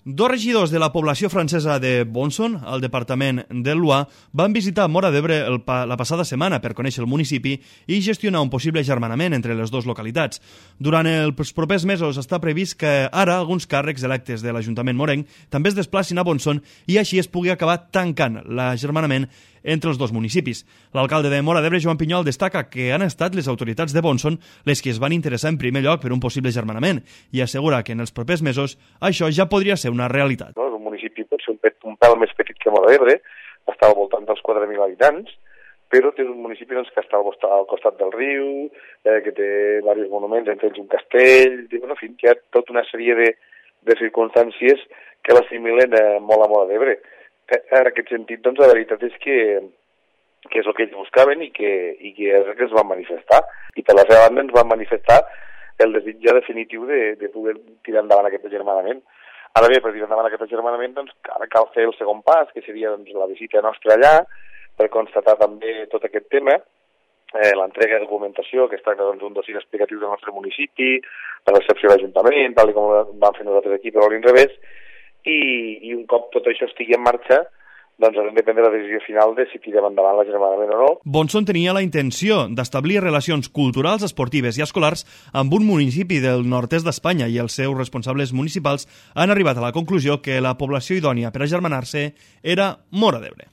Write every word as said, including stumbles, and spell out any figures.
Dos regidors de la població francesa de Bonson, al departament del Loire, van visitar Móra d'Ebre pa la passada setmana per conèixer el municipi i gestionar un possible agermanament entre les dues localitats. Durant els propers mesos està previst que ara alguns càrrecs electes de l'Ajuntament morenc també es desplacin a Bonson i així es pugui acabar tancant l'agermanament entre els dos municipis. L'alcalde de Móra d'Ebre, Joan Pinyol, destaca que han estat les autoritats de Bonson les que es van interessar en primer lloc per un possible agermanament i assegura que en els propers mesos això ja podria ser una realitat. No, és un municipi pot ser un, pet, un pèl més petit que Móra d'Ebre, està al voltant dels quatre mil habitants, però té un municipi doncs, que està al, al costat del riu, eh, que té diversos monuments, entre ells un castell, en fi, que hi ha tota una sèrie de, de circumstàncies que l'assimilen eh, molt a Móra d'Ebre. En aquest sentit, doncs, la veritat és que, que és el que ells buscaven i que, i que és el que es van manifestar. I per la seva banda ens van manifestar el desig ja definitiu de, de poder tirar endavant aquest agermanament. Ara bé, per tirar endavant aquest agermanament, doncs, ara cal fer el segon pas, que seria doncs, la visita nostra allà, per constatar també tot aquest tema, eh, l'entrega de documentació, que es tracta d'un doncs, dossier explicatiu del nostre municipi, la recepció de l'Ajuntament, tal com vam fer nosaltres aquí, però a l'inrevés, i, i un cop tot això estigui en marxa, doncs haurem de prendre la decisió final de si tirem endavant l'agermanament o no. Bonson tenia la intenció d'establir relacions culturals, esportives i escolars amb un municipi del nord-est d'Espanya i els seus responsables municipals han arribat a la conclusió que la població idònia per agermanar-se era Móra d'Ebre.